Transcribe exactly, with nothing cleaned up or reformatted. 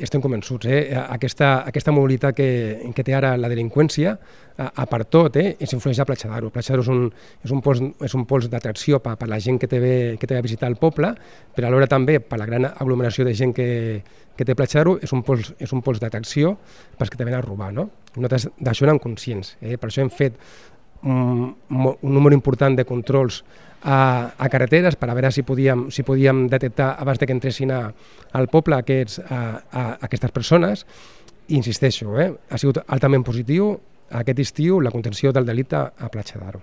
Estem convençuts, eh? Aquesta, aquesta mobilitat que, que té ara la delinqüència, a, a part tot, eh? ens influeix a Platja d'Aro. Platja d'Aro és un, és un pols, és un pols d'atracció per, per la gent que té, ve, que té a visitar el poble, però alhora també per la gran aglomeració de gent que, que té Platja d'Aro és un pols, és un pols d'atracció pels que te venen a robar. No? Nosaltres d'això n'hem conscients, eh? Per això hem fet un, un número important de controls a, a carreteres per a veure si podíem, si podíem detectar abans de que entressin a, al poble aquests, a, a, aquestes persones. I insisteixo, eh, ha sigut altament positiu aquest estiu la contenció del delicte a Platja d'Aro.